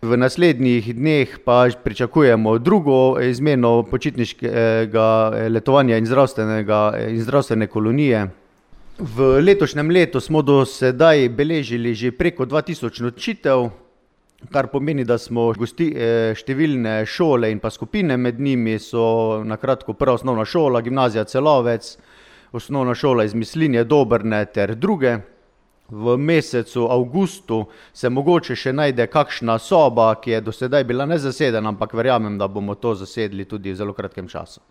V naslednjih dneh pa pričakujemo drugo izmeno počitniškega letovanja in zdravstvene kolonije. V letošnjem letu smo do sedaj beležili že preko 2000 nočitev, kar pomeni, da smo številne šole in pa skupine, med njimi so na kratko prva osnovna šola, gimnazija Celovec, osnovna šola iz Mislinje, Dobrne ter druge. V mesecu avgustu se mogoče še najde kakšna soba, ki je do sedaj bila nezasedena, ampak verjamem, da bomo to zasedli tudi v zelo kratkem času.